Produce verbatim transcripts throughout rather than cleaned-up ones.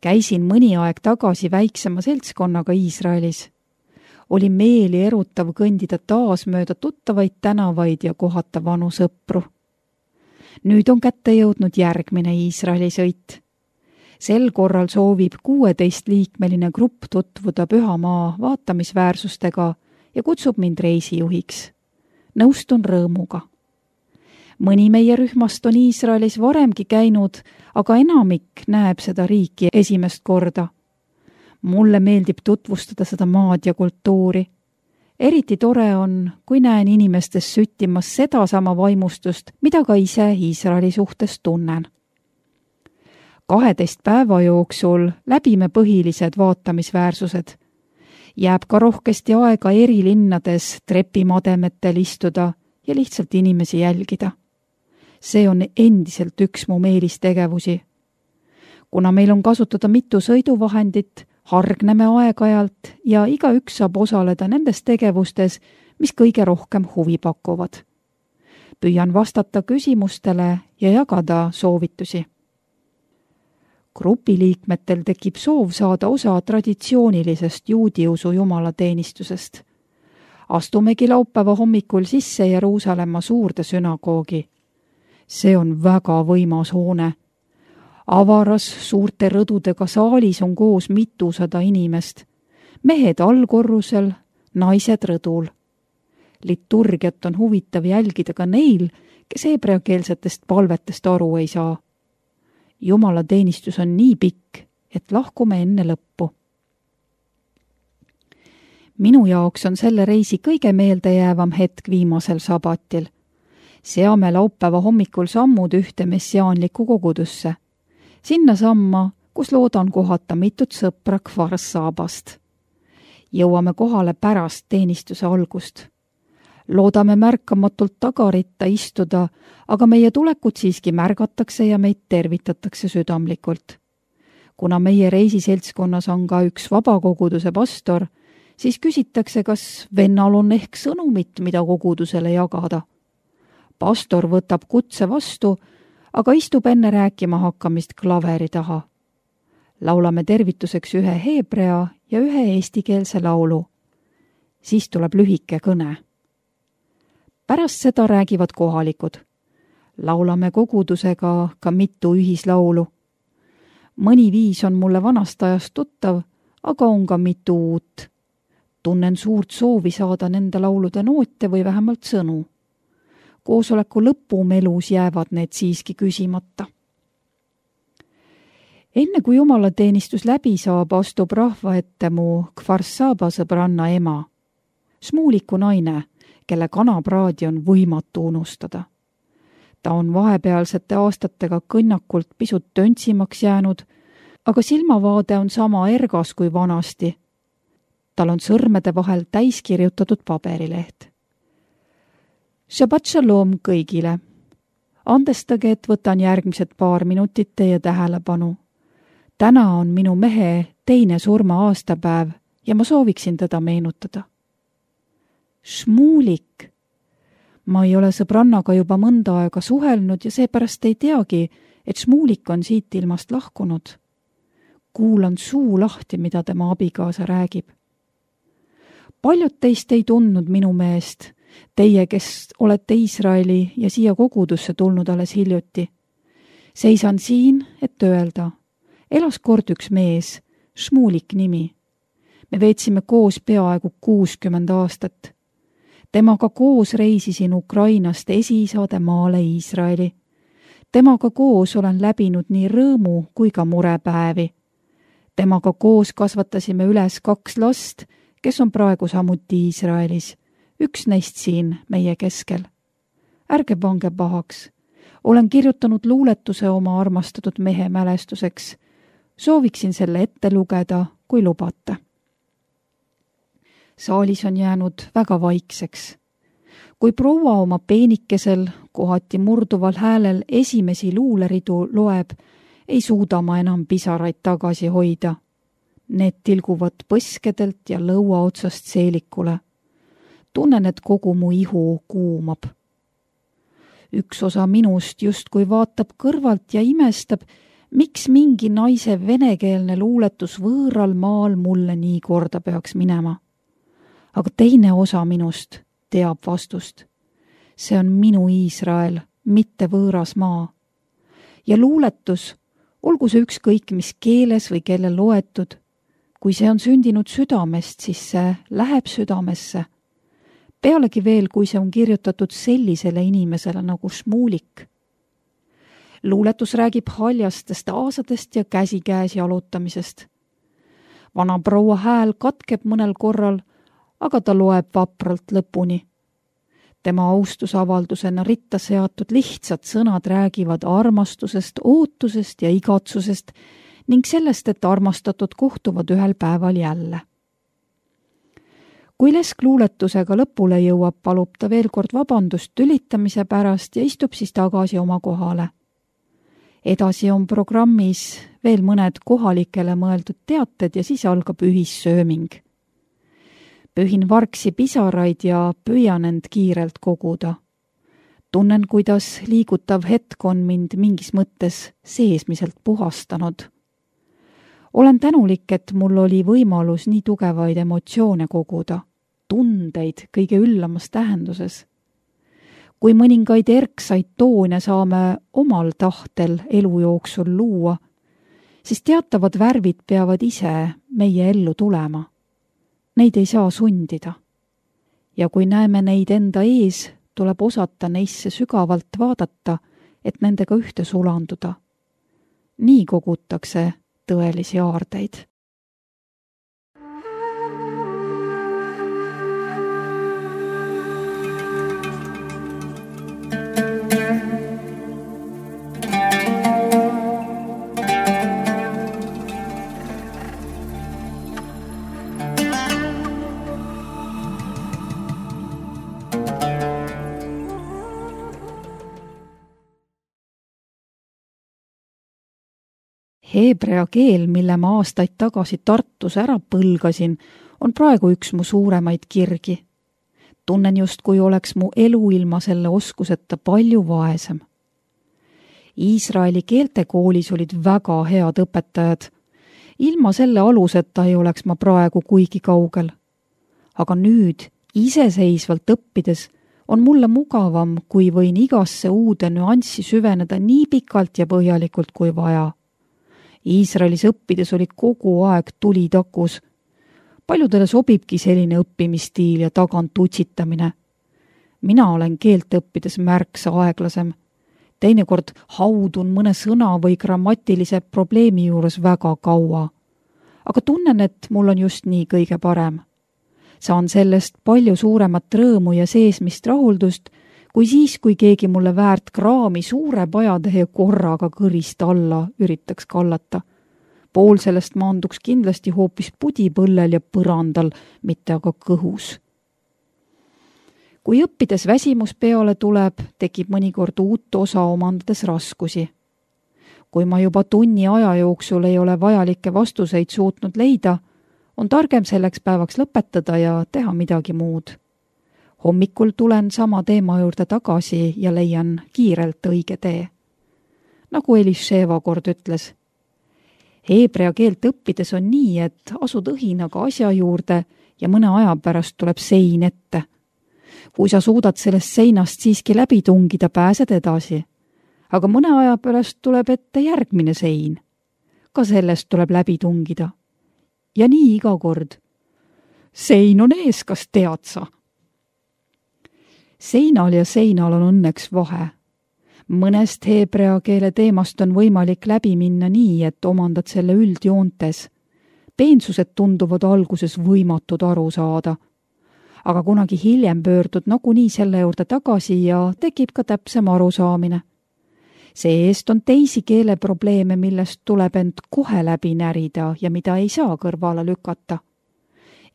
Käisin mõni aeg tagasi väiksema seltskonnaga Iisraelis. Oli meeli erutav kõndida taas mööda tuttavaid tänavaid ja kohata vanu sõpru. Nüüd on kätte jõudnud järgmine Iisraeli sõit. Sel korral soovib kuueteist liikmeline grupp tutvuda pühamaa vaatamisväärsustega ja kutsub mind reisijuhiks. Nõustun rõõmuga. Mõni meie rühmast on Iisraelis varemgi käinud, aga enamik näeb seda riiki esimest korda. Mulle meeldib tutvustada seda maad ja kultuuri. Eriti tore on, kui näen inimestes süttimas seda sama vaimustust, mida ka ise Iisraeli suhtes tunnen. kaheteist päeva jooksul läbime põhilised vaatamisväärsused. Jääb ka rohkesti aega eri linnades trepimademetel istuda ja lihtsalt inimesi jälgida. See on endiselt üks mu meelistegevusi. Kuna meil on kasutada mitu sõiduvahendit, hargneme aeg-ajalt ja igaüks saab osaleda nendes tegevustes, mis kõige rohkem huvi pakuvad. Püüan vastata küsimustele ja jagada soovitusi. Grupiliikmetel tekib soov saada osa traditsioonilisest juudiusu jumalateenistusest. Astumegi laupäeva hommikul sisse Jeruusalemma suurde sünagoogi. See on väga võimas hoone. Avaras suurte rõdudega saalis on koos mitusada inimest. Mehed allkorrusel, naised rõdul. Liturgiat on huvitav jälgida ka neil, kes hebreakeelsetest palvetest aru ei saa. Jumalateenistus on nii pikk, et lahkume enne lõppu. Minu jaoks on selle reisi kõige meeldejäävam hetk viimasel sabatil. Seame laupäeva hommikul sammud ühte messiaanlikku kogudusse. Sinna samma, kus loodan kohata mitut sõpra Kfar Sabast. Jõuame kohale pärast teenistuse algust. Loodame märkamatult tagaritta istuda, aga meie tulekut siiski märgatakse ja meid tervitatakse südamlikult. Kuna meie reisiseltskonnas on ka üks vabakoguduse pastor, siis küsitakse, kas vennal on ehk sõnumit, mida kogudusele jagada. Pastor võtab kutse vastu, aga istub enne rääkima hakkamist klaveri taha. Laulame tervituseks ühe heebrea ja ühe eestikeelse laulu. Siis tuleb lühike kõne. Pärast seda räägivad kohalikud. Laulame kogudusega ka mitu ühislaulu. Mõni viis on mulle vanast ajast tuttav, aga on ka mitu uut. Tunnen suurt soovi saada nende laulude noote või vähemalt sõnu. Koosoleku lõpumelus jäävad need siiski küsimata. Enne kui jumalateenistus läbi saab, astub rahva ette mu Kfar Saba sõbranna ema. Smuuliku naine, kelle kanapraadi on võimatu unustada. Ta on vahepealsete aastatega kõnnakult pisut töntsimaks jäänud, aga silmavaade on sama ergas kui vanasti. Tal on sõrmede vahel täiskirjutatud paberileht. Shabbat shalom kõigile. Andestage, et võtan järgmised paar minutit teie tähelepanu. Täna on minu mehe teine surma aastapäev ja ma sooviksin teda meenutada. Šmuulik. Ma ei ole sõbrannaga juba mõnda aega suhelnud ja seepärast ei teagi, et Šmuulik on siit ilmast lahkunud. Kuulan suu lahti, mida tema abikaasa räägib. Paljud teist ei tundnud minu meest, teie, kes olete Iisraeli ja siia kogudusse tulnud alles hiljuti. Seisan siin, et öelda, elas kord üks mees, Šmuulik nimi. Me veetsime koos peaaegu kuuskümmend aastat. Temaga koos reisisin Ukrainast esiisade maale Iisraeli. Temaga koos olen läbinud nii rõõmu kui ka murepäevi. Temaga koos kasvatasime üles kaks last, kes on praegu samuti Iisraelis. Üks neist siin meie keskel. Ärge pange pahaks. Olen kirjutanud luuletuse oma armastatud mehe mälestuseks. Sooviksin selle ette lugeda, kui lubate. Saalis on jäänud väga vaikseks. Kui proua oma peenikesel, kohati murduval häälel esimesi luuleridu loeb, ei suuda ma enam pisaraid tagasi hoida. Need tilguvad põskedelt ja lõua otsast seelikule. Tunnen, et kogu mu ihu kuumab. Üks osa minust justkui vaatab kõrvalt ja imestab, miks mingi naise venekeelne luuletus võõral maal mulle nii korda peaks minema? Aga teine osa minust teab vastust. See on minu Iisrael, mitte võõras maa. Ja luuletus, olgu see ükskõik mis keeles või kelle loetud, kui see on sündinud südamest, siis see läheb südamesse. Pealegi veel, kui see on kirjutatud sellisele inimesele nagu Šmulik. Luuletus räägib haljastest aasadest ja käsikäes jalutamisest. Vana proua hääl katkeb mõnel korral, aga ta loeb vapralt lõpuni. Tema austusavaldusena ritta seatud lihtsad sõnad räägivad armastusest, ootusest ja igatsusest ning sellest, et armastatud kohtuvad ühel päeval jälle. Kui Lesk luuletusega lõpule jõuab, palub ta veel kord vabandust tülitamise pärast ja istub siis tagasi oma kohale. Edasi on programmis veel mõned kohalikele mõeldud teated ja siis algab ühissööming. Pühin vargsi pisaraid ja püüan end kiirelt koguda. Tunnen, kuidas liigutav hetk on mind mingis mõttes seesmiselt puhastanud. Olen tänulik, et mul oli võimalus nii tugevaid emotsioone koguda, tundeid kõige üllamas tähenduses. Kui mõningaid erksaid toone saame omal tahtel elu jooksul luua, siis teatavad värvid peavad ise meie ellu tulema. Neid ei saa sundida. Ja kui näeme neid enda ees, tuleb osata neisse sügavalt vaadata, et nendega ühte sulanduda. Nii kogutakse tõelisi aardeid. Heebrea keel, mille ma aastaid tagasi Tartus ära põlgasin, on praegu üks mu suuremaid kirgi. Tunnen just, kui oleks mu elu ilma selle oskuseta palju vaesem. Iisraeli keeltekoolis olid väga head õpetajad. Ilma selle aluseta ei oleks ma praegu kuigi kaugel. Aga nüüd, iseseisvalt õppides, on mulle mugavam, kui võin igasse uude nüanssi süveneda nii pikalt ja põhjalikult kui vaja. Iisraelis õppides oli kogu aeg tuli takus. Paljudele sobibki selline õppimisstiil ja tagant utsitamine. Mina olen keelt õppides märksa aeglasem. Teinekord haudun mõne sõna või grammatilise probleemi juures väga kaua. Aga tunnen, et mul on just nii kõige parem. Saan sellest palju suuremat rõõmu ja seesmist rahuldust, kui siis, kui keegi mulle väärt kraami suure pajatähe korraga kõrist alla üritaks kallata. Pool sellest maanduks kindlasti hoopis pudipõllel ja põrandal, mitte aga kõhus. Kui õppides väsimus peale tuleb, tekib mõnikord uut osa omandades raskusi. Kui ma juba tunni aja jooksul ei ole vajalikke vastuseid suutnud leida, on targem selleks päevaks lõpetada ja teha midagi muud. Hommikul tulen sama teema juurde tagasi ja leian kiirelt õige tee. Nagu Elisheva kord ütles, heebrea keelt õppides on nii, et asud õhinaga asja juurde ja mõne aja pärast tuleb sein ette. Kui sa suudad sellest seinast siiski läbi tungida, pääsed edasi. Aga mõne aja pärast tuleb ette järgmine sein. Ka sellest tuleb läbi tungida. Ja nii iga kord. Sein on ees, kas tead sa? Seinal ja seinal on õnneks vahe. Mõnest heebrea keele teemast on võimalik läbi minna nii, et omandad selle üldjoontes. Peensused tunduvad alguses võimatud aru saada. Aga kunagi hiljem pöördud nagunii selle juurde tagasi ja tekib ka täpsem arusaamine. See eest on teisi keeleprobleeme, millest tuleb end kohe läbi närida ja mida ei saa kõrvale lükata.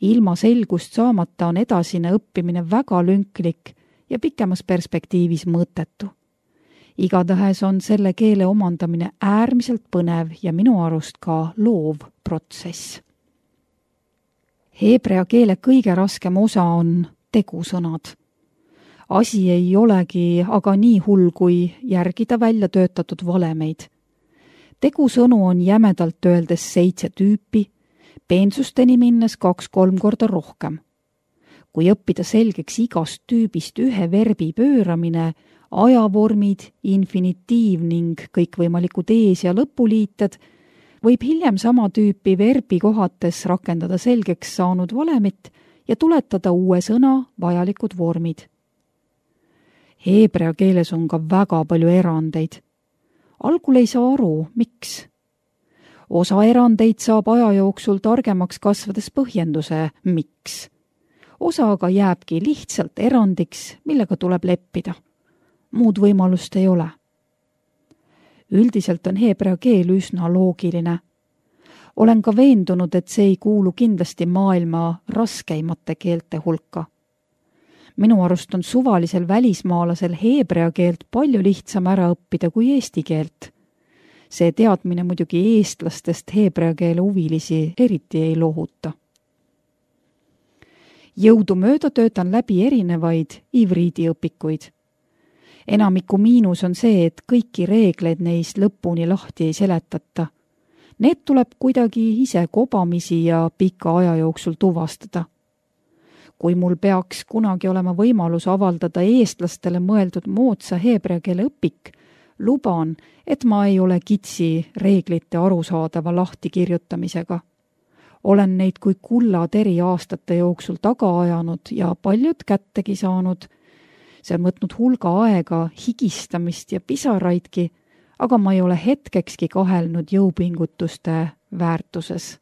Ilma selgust saamata on edasine õppimine väga lünklik ja pikemas perspektiivis mõttetu. Igatahes on selle keele omandamine äärmiselt põnev ja minu arust ka loov protsess. Heebrea keele kõige raskem osa on tegusõnad. Asi ei olegi aga nii hull, kui järgida välja töötatud valemeid. tegusõnu on jämedalt öeldes seitse tüüpi, peensusteni minnes kaks-kolm korda rohkem. Kui õppida selgeks igast tüübist ühe verbi pööramine, ajavormid, infinitiiv ning kõikvõimalikud ees- ja lõpuliited, võib hiljem sama tüüpi verbi kohates rakendada selgeks saanud valemit ja tuletada uue sõna vajalikud vormid. Heebrea keeles on ka väga palju erandeid. Algul ei saa aru, miks. Osa erandeid saab aja jooksul targemaks kasvades põhjenduse, miks. Osa aga jääbki lihtsalt erandiks, millega tuleb leppida. Muud võimalust ei ole. Üldiselt on heebrea keel üsna loogiline. Olen ka veendunud, et see ei kuulu kindlasti maailma raskeimate keelte hulka. Minu arust on suvalisel välismaalasel heebrea keelt palju lihtsam ära õppida kui eesti keelt. See teadmine muidugi eestlastest heebrea keele huvilisi eriti ei lohuta. Jõudumööda töötan läbi erinevaid ivriidiõpikuid. Enamiku miinus on see, et kõiki reegleid neist lõpuni lahti ei seletata. Need tuleb kuidagi ise kobamisi ja pika aja jooksul tuvastada. Kui mul peaks kunagi olema võimalus avaldada eestlastele mõeldud moodsa heebrea keele õpik, luban, et ma ei ole kitsi reeglite arusaadava lahtikirjutamisega. Olen neid kui kullateri aastate jooksul taga ajanud ja paljud kättegi saanud. See on võtnud hulga aega, higistamist ja pisaraidki, aga ma ei ole hetkekski kahelnud jõupingutuste väärtuses.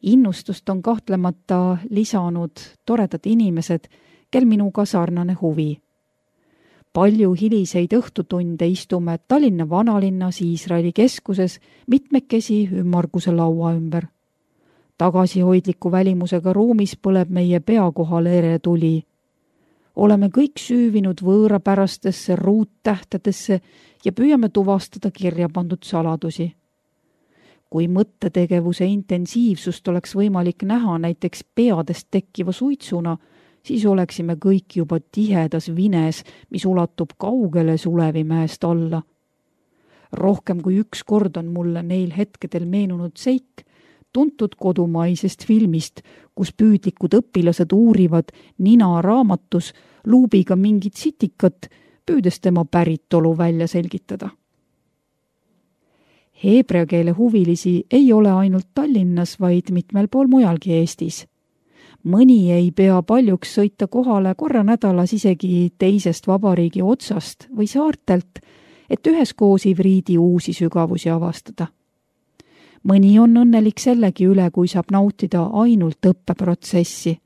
Innustust on kahtlemata lisanud toredad inimesed, kel minuga sarnane huvi. Palju hiliseid õhtutunde istume Tallinna vanalinnas Iisraeli keskuses mitmekesi ümmarguse laua ümber. Tagasihoidliku välimusega ruumis põleb meie pea kohal ere tuli. Oleme kõik süüvinud võõrapärastesse ruuttähtedesse ja püüame tuvastada kirja pandud saladusi. Kui mõttetegevuse intensiivsust oleks võimalik näha näiteks peadest tekkiva suitsuna, siis oleksime kõik juba tihedas vines, mis ulatub kaugele Sulevimäest alla. Rohkem kui üks kord on mulle neil hetkedel meenunud seik, tuntud kodumaisest filmist, kus püüdlikud õpilased uurivad nina raamatus luubiga mingit sitikat, püüdes tema päritolu välja selgitada. Heebrea keele huvilisi ei ole ainult Tallinnas, vaid mitmel pool mujalgi Eestis. Mõni ei pea paljuks sõita kohale korra nädalas isegi teisest vabariigi otsast või saartelt, et üheskoos ivriidi uusi sügavusi avastada. Mõni on õnnelik sellegi üle, kui saab nautida ainult õppeprotsessi.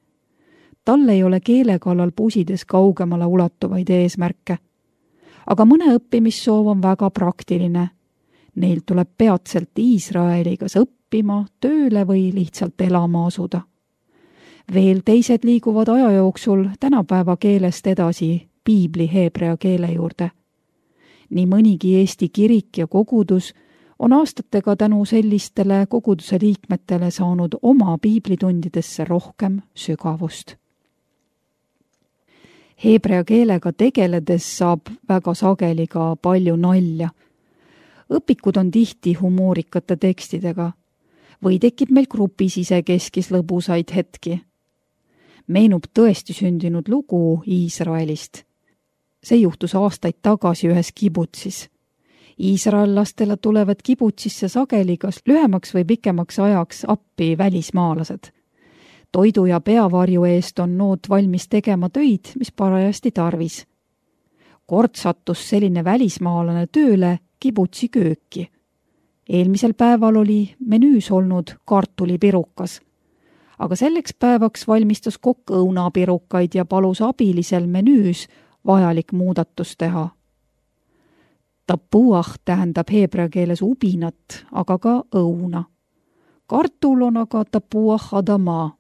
Tal ei ole keele kallal pusides kaugemale ulatuvaid eesmärke. Aga mõne õppimissoov on väga praktiline. Neil tuleb peatselt Iisraeli kas õppima, tööle või lihtsalt elama asuda. Veel teised liiguvad aja jooksul tänapäeva keelest edasi piibli heebrea keele juurde. Nii mõnigi Eesti kirik ja kogudus on aastatega tänu sellistele koguduse liikmetele saanud oma piiblitundidesse rohkem sügavust. Heebrea keelega tegeledes saab väga sageli ka palju nalja. Õpikud on tihti humoorikate tekstidega või tekib meil grupis isekeskis lõbusaid hetki. Meenub tõesti sündinud lugu Iisraelist. See juhtus aastaid tagasi ühes kibutsis. Iisraellastele tulevad kibutsisse sageli kas lühemaks või pikemaks ajaks appi välismaalased. Toidu ja peavarju eest on nood valmis tegema töid, mis parajasti tarvis. Kord sattus selline välismaalane tööle kibutsi kööki. Eelmisel päeval oli menüüs olnud kartulipirukas, aga selleks päevaks valmistas kokk õunapirukaid ja palus abilisel menüüs vajalik muudatus teha. Tapuah tähendab heebrea keeles ubinat, aga ka õuna. Kartul on aga tapuah adama.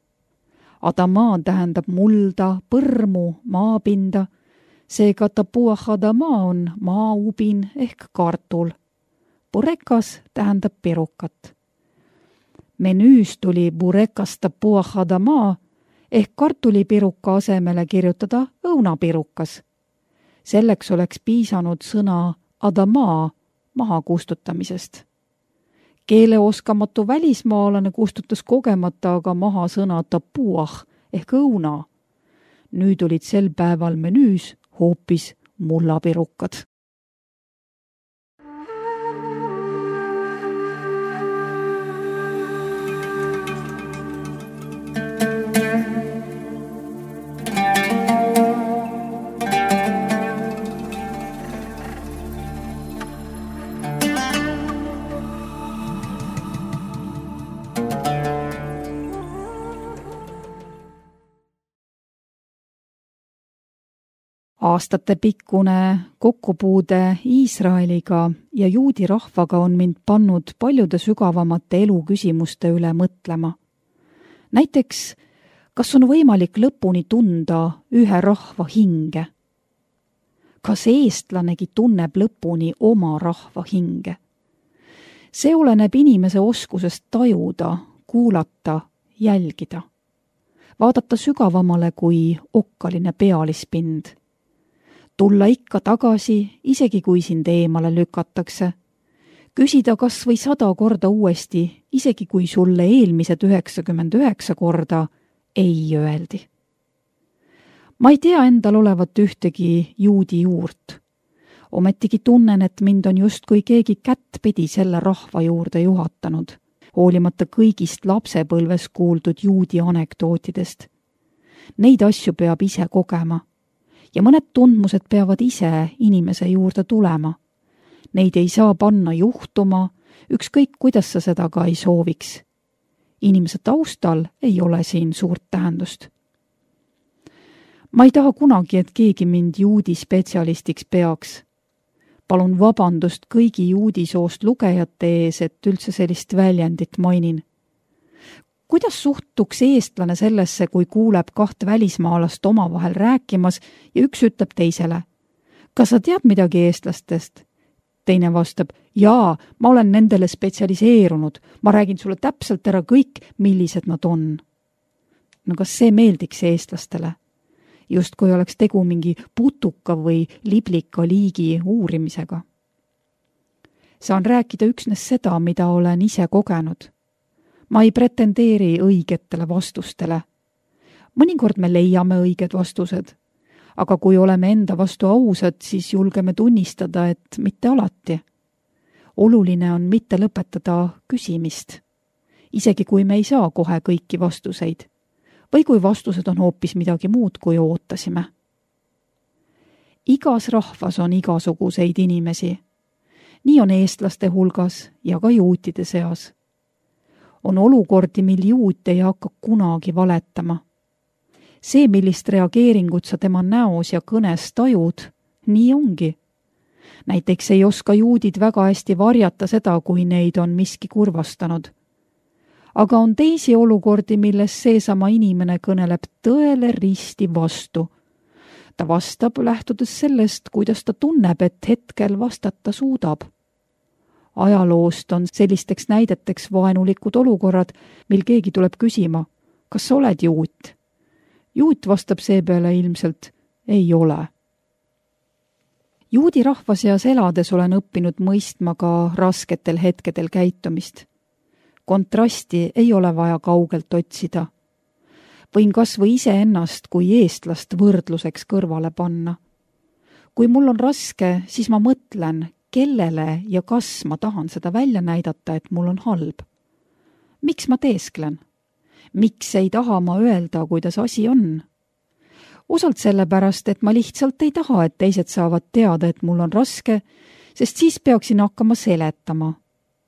Adama tähendab mulda, põrmu, maapinda. Seega tapuah adama on maaubin ehk kartul. Burekas tähendab pirukat. Menüüs tuli burekas tapuah adama ehk kartulipiruka asemele kirjutada õunapirukas. Selleks oleks piisanud sõna adama maha kustutamisest. Keeleoskamatu välismaalane kustutas kogemata aga maha sõna tapuah ehk õuna. Nüüd olid sel päeval menüüs hoopis mullapirukad. Aastatepikkune kokkupuude Iisraeliga ja juudi rahvaga on mind pannud paljude sügavamate eluküsimuste üle mõtlema. Näiteks, kas on võimalik lõpuni tunda ühe rahva hinge? Kas eestlanegi tunneb lõpuni oma rahva hinge? See oleneb inimese oskusest tajuda, kuulata, jälgida. Vaadata sügavamale kui okkaline pealispind. Tulla ikka tagasi, isegi kui sind eemale lükatakse. Küsida kas või sada korda uuesti, isegi kui sulle eelmised üheksakümmend üheksa korda ei öeldi. Ma ei tea endal olevat ühtegi juudi juurt. Ometigi tunnen, et mind on justkui keegi kättpidi selle rahva juurde juhatanud, hoolimata kõigist lapsepõlves kuuldud juudi anekdootidest. Neid asju peab ise kogema. Ja mõned tundmused peavad ise inimese juurde tulema. Neid ei saa panna juhtuma, ükskõik kuidas sa seda ka ei sooviks. Inimese taustal ei ole siin suurt tähendust. Ma ei taha kunagi, et keegi mind juudi spetsialistiks peaks. Palun vabandust kõigi juudi soost lugejate ees, et üldse sellist väljendit mainin. Kuidas suhtuks eestlane sellesse, kui kuuleb kaht välismaalast omavahel rääkimas ja üks ütleb teisele? Kas sa tead midagi eestlastest? Teine vastab, jaa, ma olen nendele spetsialiseerunud, ma räägin sulle täpselt ära kõik, millised nad on. No kas see meeldiks eestlastele? Just kui oleks tegu mingi putuka või liblika liigi uurimisega. Saan rääkida üksnes seda, mida olen ise kogenud. Ma ei pretendeeri õigetele vastustele. Mõnikord me leiame õiged vastused, aga kui oleme enda vastu ausad, siis julgeme tunnistada, et mitte alati. Oluline on mitte lõpetada küsimist, isegi kui me ei saa kohe kõiki vastuseid, või kui vastused on hoopis midagi muud, kui ootasime. Igas rahvas on igasuguseid inimesi. Nii on eestlaste hulgas ja ka juutide seas. On olukordi, mil juut ei hakka kunagi valetama. See, millist reageeringut sa tema näos ja kõnes tajud, nii ongi. Näiteks ei oska juudid väga hästi varjata seda, kui neid on miski kurvastanud. Aga on teisi olukordi, milles seesama inimene kõneleb tõele risti vastu. Ta vastab lähtudes sellest, kuidas ta tunneb, et hetkel vastata suudab. Ajaloost on sellisteks näideteks vaenulikud olukorrad, mil keegi tuleb küsima, kas sa oled juut? Juut vastab seepeale ilmselt, ei ole. Juudi rahva seas elades olen õppinud mõistma ka rasketel hetkedel käitumist. Kontrasti ei ole vaja kaugelt otsida. Võin kas või ise ennast kui eestlast võrdluseks kõrvale panna. Kui mul on raske, siis ma mõtlen, kellele ja kas ma tahan seda välja näidata, et mul on halb. Miks ma teesklen? Miks ei taha ma öelda, kuidas asi on? Osalt sellepärast, et ma lihtsalt ei taha, et teised saavad teada, et mul on raske, sest siis peaksin hakkama seletama.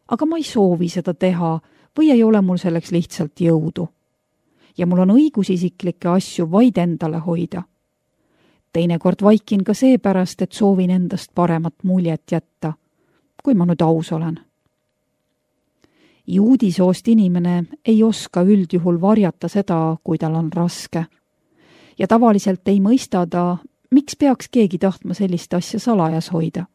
Aga ma ei soovi seda teha või ei ole mul selleks lihtsalt jõudu. Ja mul on õigus isiklikke asju vaid endale hoida. Teinekord vaikin ka seepärast, et soovin endast paremat muljet jätta, kui ma nüüd aus olen. Juudi soost inimene ei oska üldjuhul varjata seda, kui tal on raske. Ja tavaliselt ei mõista ta, miks peaks keegi tahtma sellist asja salajas hoida.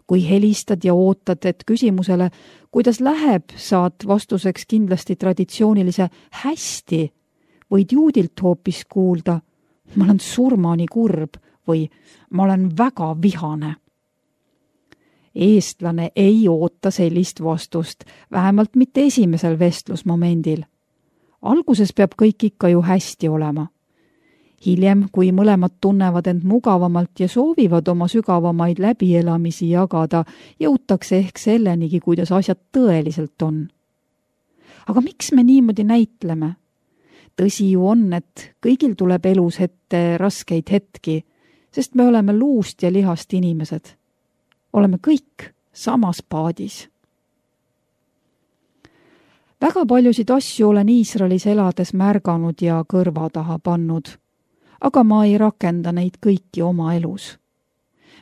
Kui helistad ja ootad, et küsimusele, kuidas läheb, saad vastuseks kindlasti traditsioonilise hästi, võid juudilt hoopis kuulda, ma olen surmani kurb või ma olen väga vihane. Eestlane ei oota sellist vastust, vähemalt mitte esimesel vestlusmomendil. Alguses peab kõik ikka ju hästi olema. Hiljem, kui mõlemad tunnevad end mugavamalt ja soovivad oma sügavamaid läbielamisi jagada, jõutakse ehk sellenigi, kuidas asjad tõeliselt on. Aga miks me niimoodi näitleme? Tõsi ju on, et kõigil tuleb elus ette raskeid hetki, sest me oleme luust ja lihast inimesed. Oleme kõik samas paadis. Väga paljusid asju olen Iisraelis elades märganud ja kõrva taha pannud, aga ma ei rakenda neid kõiki oma elus.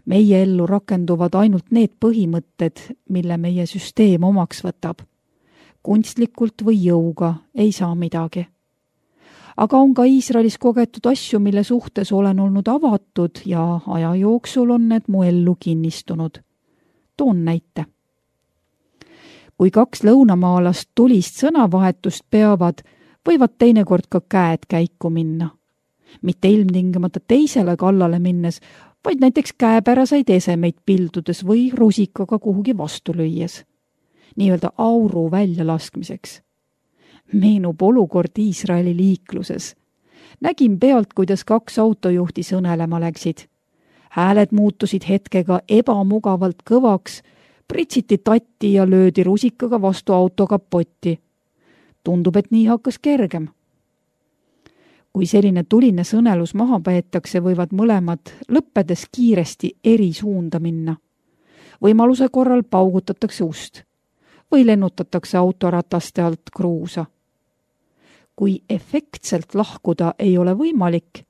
Meie ellu rakenduvad ainult need põhimõtted, mille meie süsteem omaks võtab. Kunstlikult või jõuga ei saa midagi. Aga on ka Iisraelis kogetud asju, mille suhtes olen olnud avatud ja aja jooksul on need mu ellu kinnistunud. Toon näite. Kui kaks lõunamaalast tulist sõnavahetust peavad, võivad teinekord ka käed käiku minna. Mitte ilmtingimata teisele kallale minnes, vaid näiteks käepäraseid esemeid pildudes või rusikaga kuhugi vastu lüües. Nii-öelda auru väljalaskmiseks. Meenub olukord Iisraeli liikluses. Nägin pealt, kuidas kaks autojuhti sõnelema läksid. Hääled muutusid hetkega ebamugavalt kõvaks, pritsiti tatti ja löödi rusikaga vastu auto kapotti. Tundub, et nii hakkas kergem. Kui selline tuline sõnelus maha peetakse, võivad mõlemad lõppedes kiiresti eri suunda minna. Võimaluse korral paugutatakse ust või lennutatakse autorataste alt kruusa. Kui efektselt lahkuda ei ole võimalik,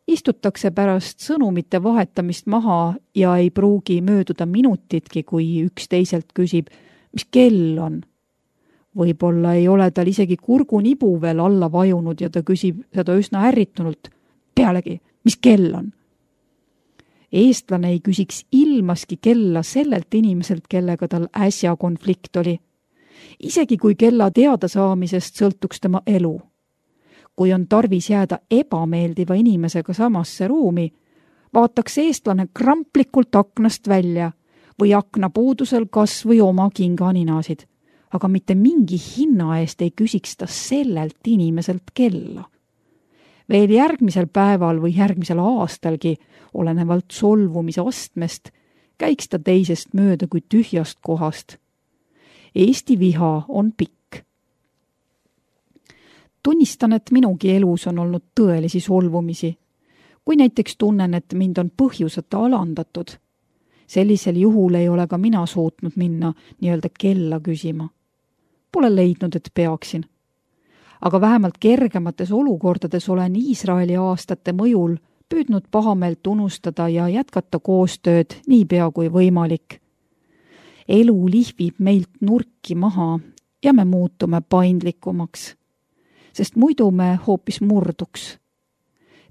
istutakse pärast sõnumite vahetamist maha ja ei pruugi mööduda minutitki, kui üks teiselt küsib, mis kell on. Võib-olla ei ole tal isegi kurgunibu veel alla vajunud ja ta küsib seda üsna ärritunult. Pealegi, mis kell on? Eestlane ei küsiks ilmaski kella sellelt inimeselt, kellega tal äsja konflikt oli. Isegi kui kella teada saamisest sõltuks tema elu. Kui on tarvis jääda ebameeldiva inimesega samasse ruumi, vaataks eestlane kramplikult aknast välja või akna puudusel kas või oma kinganinasid, aga mitte mingi hinna eest ei küsiks ta sellelt inimeselt kella. Veel järgmisel päeval või järgmisel aastalgi, olenevalt solvumise astmest, käiks ta teisest mööda kui tühjast kohast. Eesti viha on pikk. Tunnistan, et minugi elus on olnud tõelisi solvumisi. Kui näiteks tunnen, et mind on põhjuseta alandatud, sellisel juhul ei ole ka mina suutnud minna nii-öelda kella küsima. Pole leidnud, et peaksin. Aga vähemalt kergemates olukordades olen Iisraeli aastate mõjul püüdnud pahameelt unustada ja jätkata koostööd niipea kui võimalik. Elu lihvib meilt nurki maha ja me muutume paindlikumaks, sest muidu me hoopis murduks.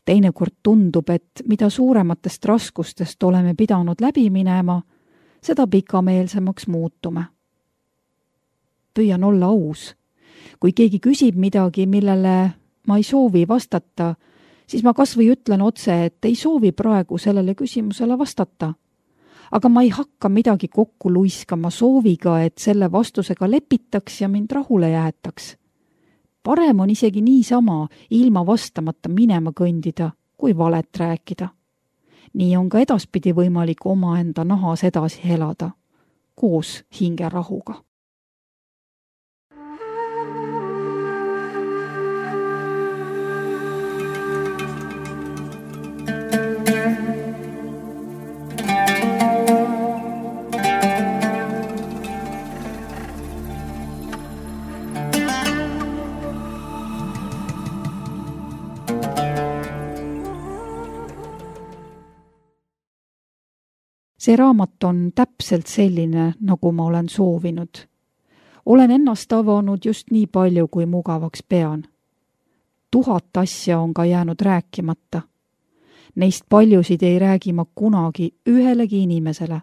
Teinekord tundub, et mida suurematest raskustest oleme pidanud läbi minema, seda pikameelsemaks muutume. Püüan olla aus. Kui keegi küsib midagi, millele ma ei soovi vastata, siis ma kas või ütlen otse, et ei soovi praegu sellele küsimusele vastata. Aga ma ei hakka midagi kokku luiskama sooviga, et selle vastusega lepitaks ja mind rahule jäetaks. Parem on isegi niisama ilma vastamata minema kõndida, kui valet rääkida. Nii on ka edaspidi võimalik omaenda nahas edasi elada, koos hingerahuga. See raamat on täpselt selline, nagu ma olen soovinud. Olen ennast avanud just nii palju, kui mugavaks pean. Tuhat asja on ka jäänud rääkimata. Neist paljusid ei räägi ma kunagi ühelegi inimesele,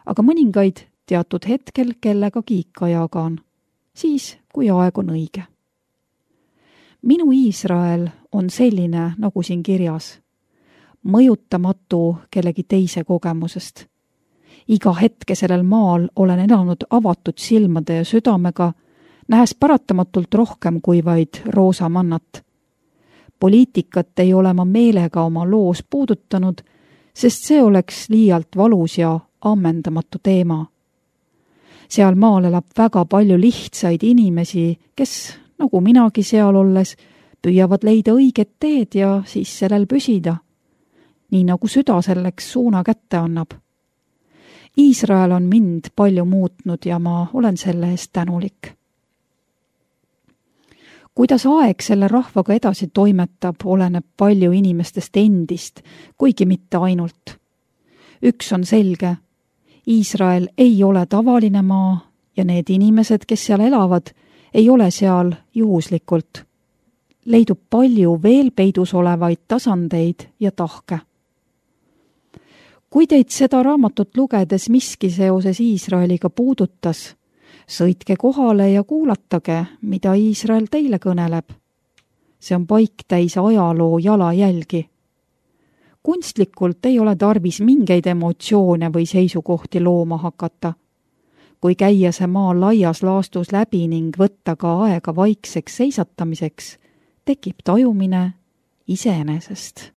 aga mõningaid teatud hetkel kellegagi ikka jagan, siis kui aeg on õige. Minu Iisrael on selline, nagu siin kirjas. Mõjutamatu kellegi teise kogemusest. iga hetke sellel maal olen elanud avatud silmade ja südamega, nähes paratamatult rohkem kui vaid roosamannat. Poliitikat ei ole ma meelega oma loos puudutanud, sest see oleks liialt valus ja ammendamatu teema. Seal maal elab väga palju lihtsaid inimesi, kes, nagu minagi seal olles, püüavad leida õiget teed ja siis sellel püsida, nii nagu süda selleks suuna kätte annab. Iisrael on mind palju muutnud ja ma olen selle eest tänulik. Kuidas aeg selle rahvaga edasi toimetab, oleneb palju inimestest endist, kuigi mitte ainult. Üks on selge, Iisrael ei ole tavaline maa ja need inimesed, kes seal elavad, ei ole seal juhuslikult. Leidub palju veel peidus olevaid tasandeid ja tahke. Kui teid seda raamatut lugedes miski seoses Iisraeliga puudutas, sõitke kohale ja kuulatage, mida Iisrael teile kõneleb. See on paik täis ajaloo jalajälgi. Kunstlikult ei ole tarvis mingeid emotsioone või seisukohti looma hakata. Kui käia see maa laias laastus läbi ning võtta ka aega vaikseks seisatamiseks, tekib tajumine iseenesest.